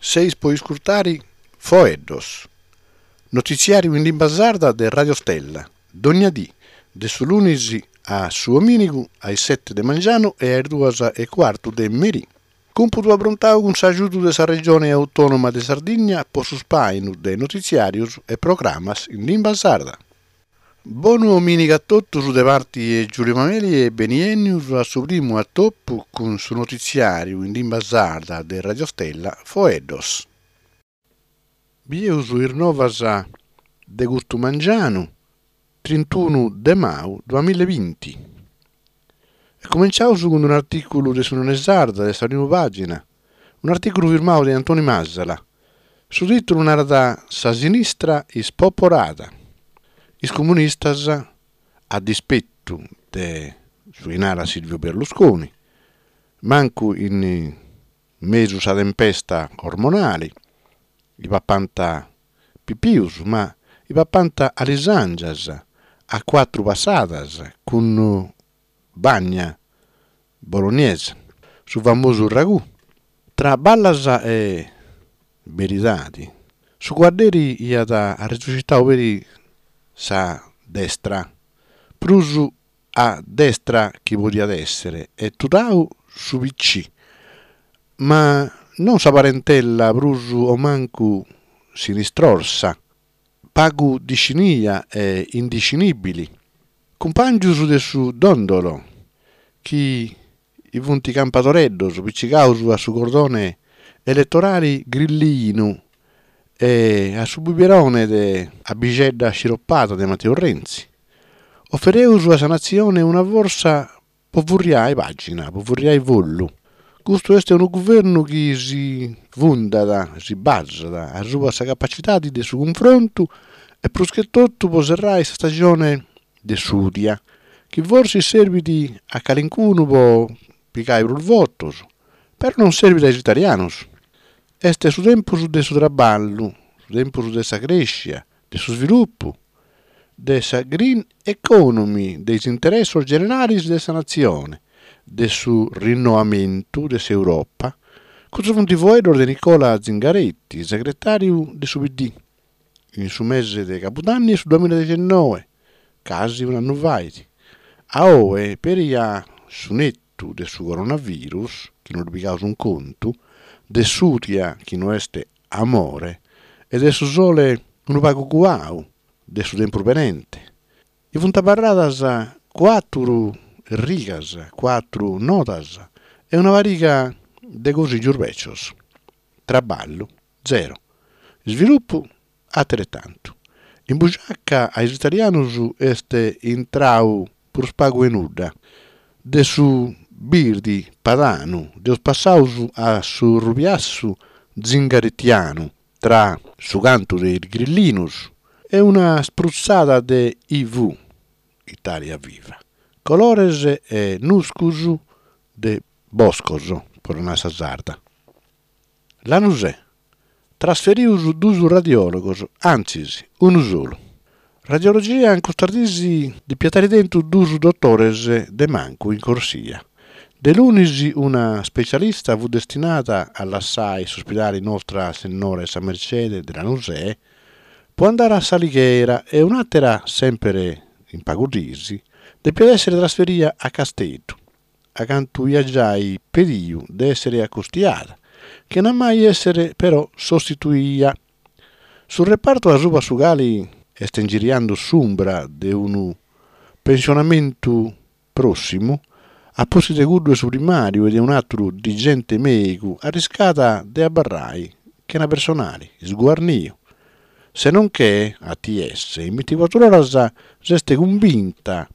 Seis po iscurtare Foeddos, notitziàriu in limba sarda de Radio Stella, dogna dì, de su lunis a su omìnigu a is sete de mangianu e a is duas e cuartu de merì. Cumpudu aprontau cun s'agiudu de sa Regione Autònoma de Sardigna po su spàinu de notitziàrios e programas in limba sarda. Bonu omìnigu a totus de parti 'e Giulio Mameli e beniènnius a su primu atopu cun su notitziàriu in limba sarda de Radio Stella Foeddos. Bieus is novas de custu mangianu, trintunu de mau duamilla e binti. E cumenciaus cun un'artìculu de s'Unione Sarda de sa primu pàgina, un'artìculu firmau de Antoni Masala. Su tìtulu narat Sa sinistra ispoporada. Is comunistas, a dispetu de su chi narat Silvio Berlusconi, mancu in mesu sa tempesta ormonali, i papant pipius, ma i papant alisàngias a cuatru passadas cun bagna bolognesa, su famosu ragù. Tra ballas e beridadi, su cuadderi iat arresuscitau peri sa destra, prus a destra chi podiat èssere e tudau su PC, ma non sa parentella prus o mancu sinistrorsa, pagu discinia e indiscinìbili, cumpàngius de su Dondolo, chi funt campadoreddos picigaus a su cordone eletorali grillinu e a su bibirone de abixedda sciropada de Matteo Renzi. Ofereus a sa natzione una fortza po furriai pàgina, po furriai follu. Custu est unu guvernu chi si fundat, si basat asuba sa capacidadi de su cunfrontu e prus che totu po serrai sa stagione de s'udia, chi forsis serbit a calincunu po pigai prus votos, però non serbit a is italianus. Est su tempus de su traballu, su tempus de sa crèscia, de su svilupu, de sa green economy, de is interessos generalis de sa natzione, de su rinnoamentu de s'Europa. Custos funt foeddos de Nicola Zingaretti, segretàriu de su PD, in su mese de cabudanni 'e su duamiladexennoe, casi un'annu fait. A oe, peri a su netu de su coronavirus, chi no ddu pigaus in contu, de s'udia chi no est amore e de su sole unu pagu cuau de su tempus benente. I funt abarradas cuàturu rigas, cuàturu nodas e una pariga de cosìgios bècios. Traballu, zero. Svilupu, ateretantu. In bugiaca a is italianus est intrau prus pagu 'e nudda. De su birdi padanu deus passaus a su rubiassu zingarettianu tra su cantu de is grillinus e una sprutzada de IV, Italia Viva, colores e nuscus de boscos, po ddu nai a sa sarda. Lanusè, trasferius dus radiòlogos, antzis, unu solu. Radiologia in custas diis depiat àere tentu dus dotores de mancu in corsia. De lunis una specialista fut destinada a lassai s'ospidali Nostra Sennora 'e sa Mercede de Lanusè po andare a S'Alighera e un'àtera, semper in pagu diis, depiat èssere trasferia a Casteddu. acantu iat giai pediu de èssere acostiada, chena mai èssere però sostituia. Su repartu asuba su cali est ingiriando s'umbra de unu pensionamentu pròssimu, a pustis de cuddu 'e su primàriu e de un'àteru dirigente mèigu, arriscat de abarrai chena personali, sguarniu. Se non che, ATS, in binticuatru oras s'est cumbinta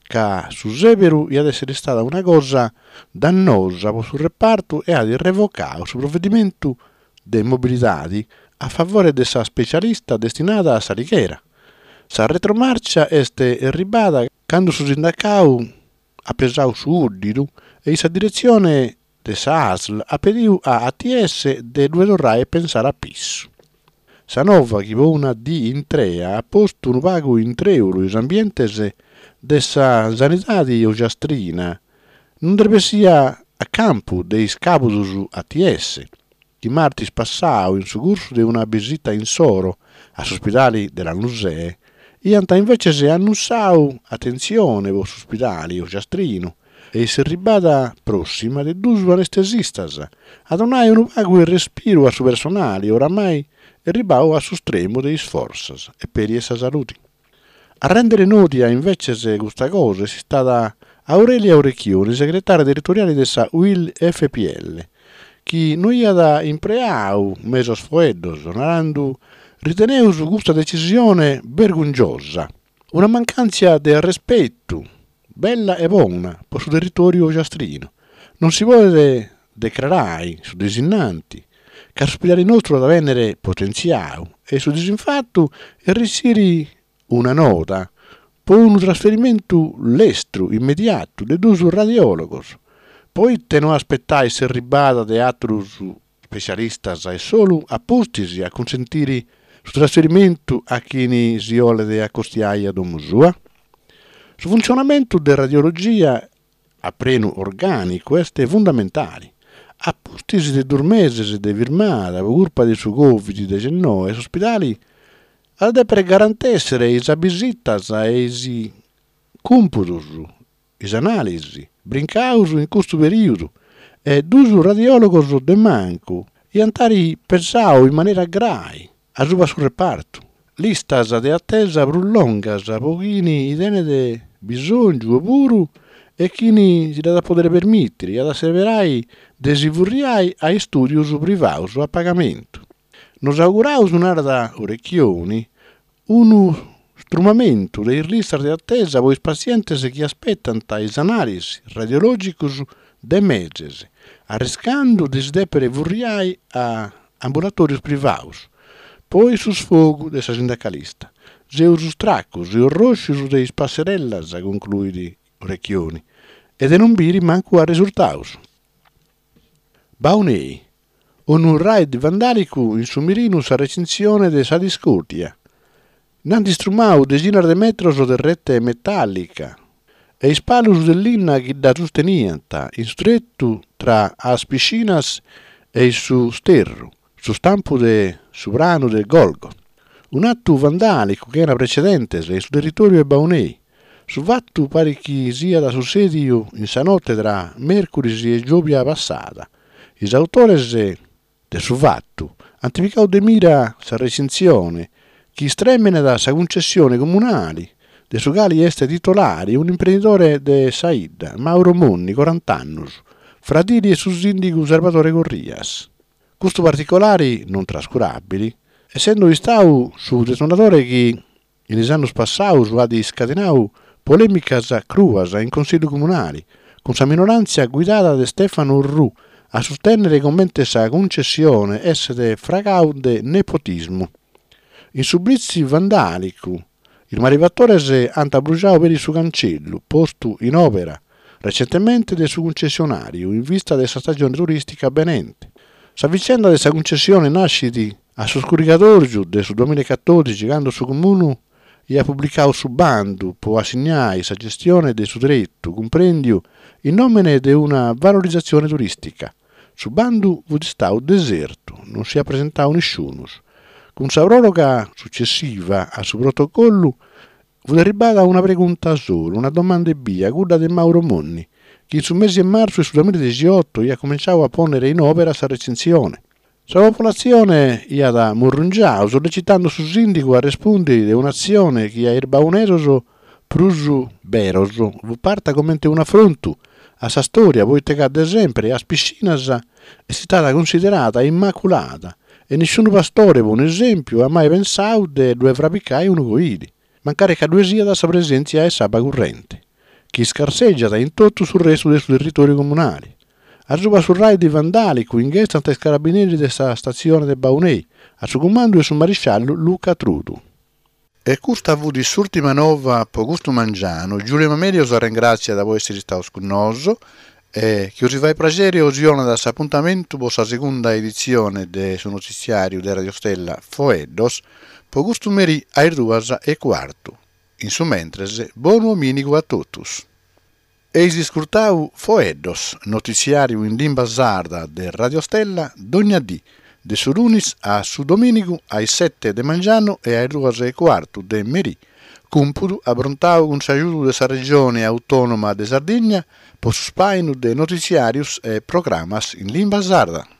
ca su sèberu iat èssere istada una cosa dannosa po su repartu e at revocadu su provedimentu de mobilidade a favore de sa specialista destinada a S'Alighera. Sa retromarcia est erribada cando su sindacadu at pesadu su 'uddidu e sa diretzione de sa ASL at pediu a ATS de ddue torrai a pensare a pissu. Sa nova chi po una dì intrea at postu unu pagu in trèulu is ambientes de sa sanidadi ogiastrina non nd'est bessia a campu de is càbudos ATS. chi martis passau in su cursu de una bisita insoro a s'uspidali de Lanusè iant inveces annussau atentzione po s'uspidali ogiastrinu e s'erribada prossima de dus anestesistas a donai unu pagu 'e respiru a su personali oramai erribau a su stremu de is fortzas e peri 'e sa saludi. A rèndere nòdia inveces custa cosa est istada Aurelia Orecchioni, segretària territoriale de sa Uil FPL, chi no iat impreau mesos foeddos, narandu, Riteneus custa decisione bergungiosa, una mancàntzia de arrespetu bella e bona po su territòriu ogiastrinu. Non si podet decrarai su disinnanti ca s'uspidali nostru at a bènnere potentziau e su disinfatu erritziri una nota po unu trasferimentu lestru, immediatu, de dus radiòlogos. Poite no aspetai s'erribada de àterus specialistas e solu a pustis a cunsentiri su trasferimentu a chini si 'olet acostiai a domu sua? Su funtzionamentu de radiologia a prenu orgànicu est fundamentali. A pustis de dus meses de firmada po curpa de su Covid dexennoe s'ospidali at a dèpere garantèssere is abisitas e is cùmpudos, is anàlisi, brincaus in custu perìodu e dus radiòlogos de mancu iant àiri pesau in manera grai asuba su repartu. Listas de atesa prus longas po chini tenet bisòngiu opuru e chini si dd'at a pòdere permìtiri at a seberai de si furriai a istùdios privaus a pagamentu. Nos auguraus, narat Orecchioni, unu strumamentu de is listas de atesa po is passientes chi aspetant is anàlisi radiològicos de meses, arriscandu de si dèpere furriai a ambulatòrios privaos. Poi su sfogu de sa sindacalista. Seus stracus e orròscius de is passerellas, concluit Orecchioni, e de non biri mancu arresurtaus. Baunei. Unu raid vandàlicu in su mirinu sa recintzione de sa discòrdia. Nd'ant istrumau dexinas de metros de rete metàllica e is palus de linna chi dda susteniant in su tretu tra Is Piscinas e su Sterru, su stampu de su pranu de Golgo. Un'atu vandàlicu chena precedentes in su territòriu 'e Baunei. Su fatu parit chi siat sussèdiu in sa note tra mèrcuris e giòbia passada. Is autores de su fatu ant picau de mira sa recintzione chi istrèmenat sa cuncessione comunale de su cali est titolare un'imprendidore de sa 'idda, Mauro Monni, corant'annus, fradili 'e su sìndigu Sarvadore Corrias. Custu particolare non trascuràbili, essendo istau su detonadore chi In is annus passaus at iscadenau polèmicas cruas in Consillu Comunali, cun sa minoràntzia guidada de Stefano Orrù a sustènnere comente sa cuncessione esset fragau de nepotismu. In su blitz vandàlicu, is malefatores ant abrujau peri su cancellu, postu in òbera recentemente de su cuncessionàriu in vista de sa stagione turìstica benente. Sa vicenda de sa cuncessione nascit A su scurigadòrgiu de su duamilla e catòdixi candu su Comunu iat publicau su bandu po assignai sa gestione de su tretu cumprèndiu in nòmene de una valorizatzione turìstica. Su bandu fut istau desertu, non s'iat presentau nisciunus. Cun sa pròroga sucessiva a su protocollu Fut arribbada una pregunta solu, una domanda ebbia, cudda de Mauro Monni, chi in su mesi 'e martzu 'e su duamilla e dexioto iat cumenciau a pònnere in òbera sa recintzione. Sa popolatzione iat murrungiau, sollecitando su sìndigu a respùndiri de un'atzione chi a is baunesos prus beros fut parta comente un'afrontu a sa stòria poite ca de sempri Is Piscinas est istada cunsiderada immaculada e nisciunu pastore, po un'esèmpiu, at mai pensau de ddue frabicai unu coili, mancari ca ddue siat sa presèntzia 'e s'abba currente, chi iscarsègiat in totu su restu de su territòriu comunali. Asuba su raid vandàlicu inghessant is carabineris de sa statzione de Baunei, a su cumandu 'e su marisciallu Luca Trudu. E custa fut s'ùrtima nova po custu mangianu. Giulio Mameli os arrengràtziat po èssiri istaus cun nosu e chi os fait praxeri os donat s'apuntamentu po sa segunda editzione de su notitziàriu de Radio Stella Foeddos po custu merì a is duas e cuartu. In su mentres, bonu omìnigu a totus. Eis iscurtau Foeddos, notitziàriu in limba sarda de Radio Stella dogna dì, de su lunis a su domìnigu a is sete de mangianu e a is duas e cuartu de merì, cumpudu abrontau cun s'agiudu de sa Regione Autònoma de Sardigna po su spàinu de notitziàrius e programas in limba sarda.